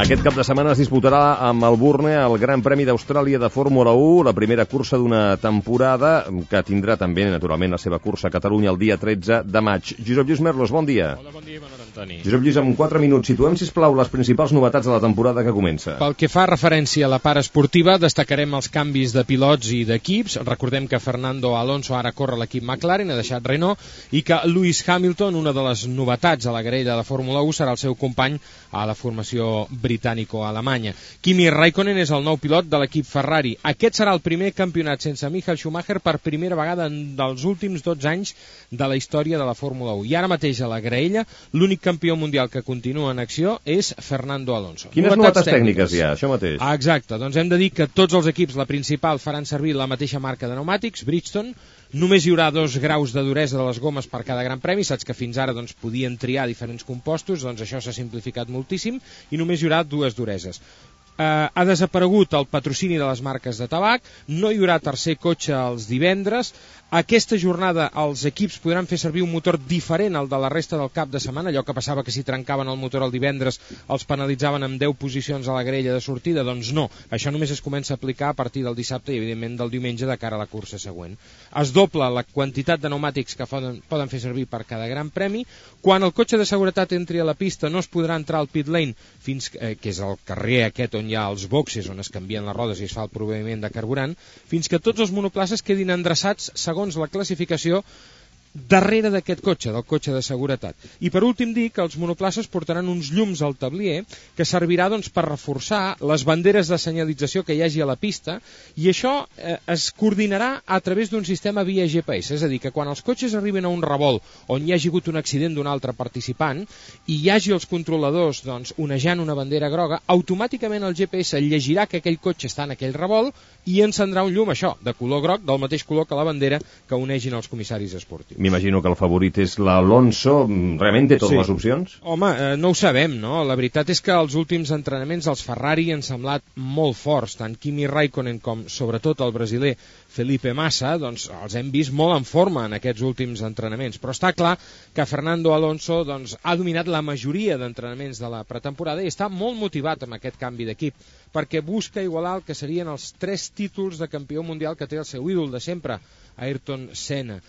Aquest cap de setmana es disputarà a Melbourne el Gran Premi d'Austràlia de Fórmula 1, la primera cursa d'una temporada que tindrà també, naturalment, la seva cursa a Catalunya el dia 13 de maig. Josep Lluís Merlos, bon dia. Hola, bon dia, Manor Antoni. Josep Lluís, en 4 minuts, situem, sisplau, les principals novetats de la temporada que comença. Pel que fa referència a la part esportiva, destacarem els canvis de pilots i d'equips. Recordem que Fernando Alonso ara corre l'equip McLaren, ha deixat Renault, i que Lewis Hamilton, una de les novetats a la graella de Fórmula 1, serà el seu company a la formació britànico-alemanya. Kimi Raikkonen és el nou pilot de l'equip Ferrari. Aquest serà el primer campionat sense Michael Schumacher per primera vegada dels últims 12 anys de la història de la Fórmula 1. I ara mateix a la graella, l'únic campió mundial que continua en acció és Fernando Alonso. Quines novetats tècniques hi ha, això mateix? Exacte, doncs hem de dir que tots els equips, la principal, faran servir la mateixa marca de pneumàtics, Bridgestone. Només hi haurà 2 graus de duresa de les gomes per cada gran premi. Saps que fins ara podien triar diferents compostos, doncs això s'ha simplificat moltíssim, i només hi haurà 2 dureses. Ha desaparegut el patrocini de les marques de tabac, no hi haurà tercer cotxe els divendres. Aquesta jornada els equips podran fer servir un motor diferent al de la resta del cap de setmana, allò que passava que si trencaven el motor el divendres els penalitzaven amb 10 posicions a la grella de sortida, doncs no, això només es comença a aplicar a partir del dissabte i evidentment del diumenge de cara a la cursa següent. Es dobla la quantitat de pneumàtics que poden fer servir per cada gran premi. Quan el cotxe de seguretat entri a la pista no es podrà entrar al pit lane, que és el carrer aquest on hi ha els boxes on es canvien les rodes i es fa el proviment de carburant, fins que tots els monoplaces quedin endreçats segons la classificació darrere d'aquest cotxe, del cotxe de seguretat. I per últim dir que els monoplaces portaran uns llums al tablier que servirà per reforçar les banderes de senyalització que hi hagi a la pista, i això es coordinarà a través d'un sistema via GPS, és a dir, que quan els cotxes arriben a un revolt on hi hagi hagut un accident d'un altre participant i hi hagi els controladors onejant una bandera groga, automàticament el GPS llegirà que aquell cotxe està en aquell revolt i encendrà un llum, això, de color groc, del mateix color que la bandera que unegin els comissaris esportius. M'imagino que el favorit és l'Alonso. Realment té totes les opcions? Home, no ho sabem, no? La veritat és que els últims entrenaments els Ferrari han semblat molt forts, tant Kimi Raikkonen com sobretot el brasiler Felipe Massa, doncs els hem vist molt en forma en aquests últims entrenaments, però està clar que Fernando Alonso ha dominat la majoria d'entrenaments de la pretemporada i està molt motivat amb aquest canvi d'equip, perquè busca igualar el que serien els 3 títols de campió mundial que té el seu ídol de sempre, Ayrton Senna.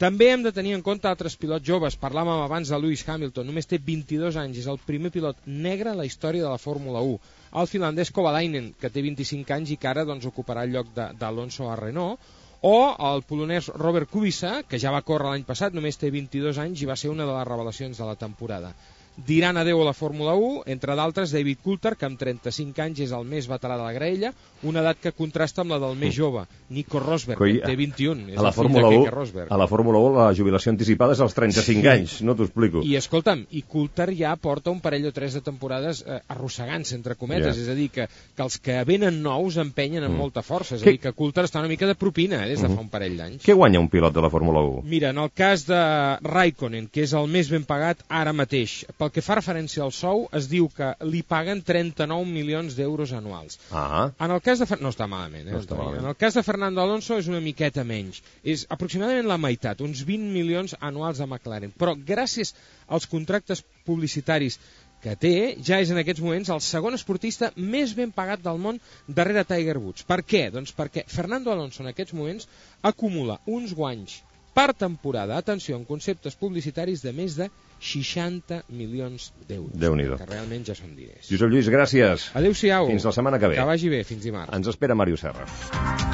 També hem de tenir en compte altres pilots joves. Parlàvem abans de Lewis Hamilton, només té 22 anys, és el primer pilot negre en la història de la Fórmula 1. El finlandès Kovalainen, que té 25 anys i que ara ocuparà el lloc d'Alonso a Renault, o el polonès Robert Kubica, que ja va córrer l'any passat, només té 22 anys i va ser una de les revelacions de la temporada. Diran adeu a la Fórmula 1, entre d'altres David Coulthard, que amb 35 anys és el més veterà de la graella, una edat que contrasta amb la del més jove, Nico Rosberg, que té 21, és el fill de Keke Rosberg. A la Fórmula 1 la jubilació anticipada és als 35 anys, no t'ho explico. I escolta'm, i Coulthard ja porta un parell o 3 de temporades arrossegant-se, entre cometes, és a dir, que els que venen nous empenyen amb molta força, és a dir, que Coulthard està una mica de propina des de fa un parell d'anys. Què guanya un pilot de la Fórmula 1? Mira, en el cas de Raikkonen, que és el més ben pagat ara mateix, pel que fa referència al sou, es diu que li paguen 39 milions d'euros anuals. En el cas de no està malament, En el cas de Fernando Alonso és una miqueta menys. És aproximadament la meitat, uns 20 milions anuals a McLaren. Però gràcies als contractes publicitaris que té, ja és en aquests moments el segon esportista més ben pagat del món darrere Tiger Woods. Per què? Doncs perquè Fernando Alonso en aquests moments acumula uns guanys per temporada, atenció, en conceptes publicitaris de més de 60 milions d'euros. Déu-n'hi-do. Que realment ja són diners. Josep Lluís, gràcies. Adéu-siau. Fins la setmana que ve. Que vagi bé, fins dimarts. Ens espera Màrius Serra.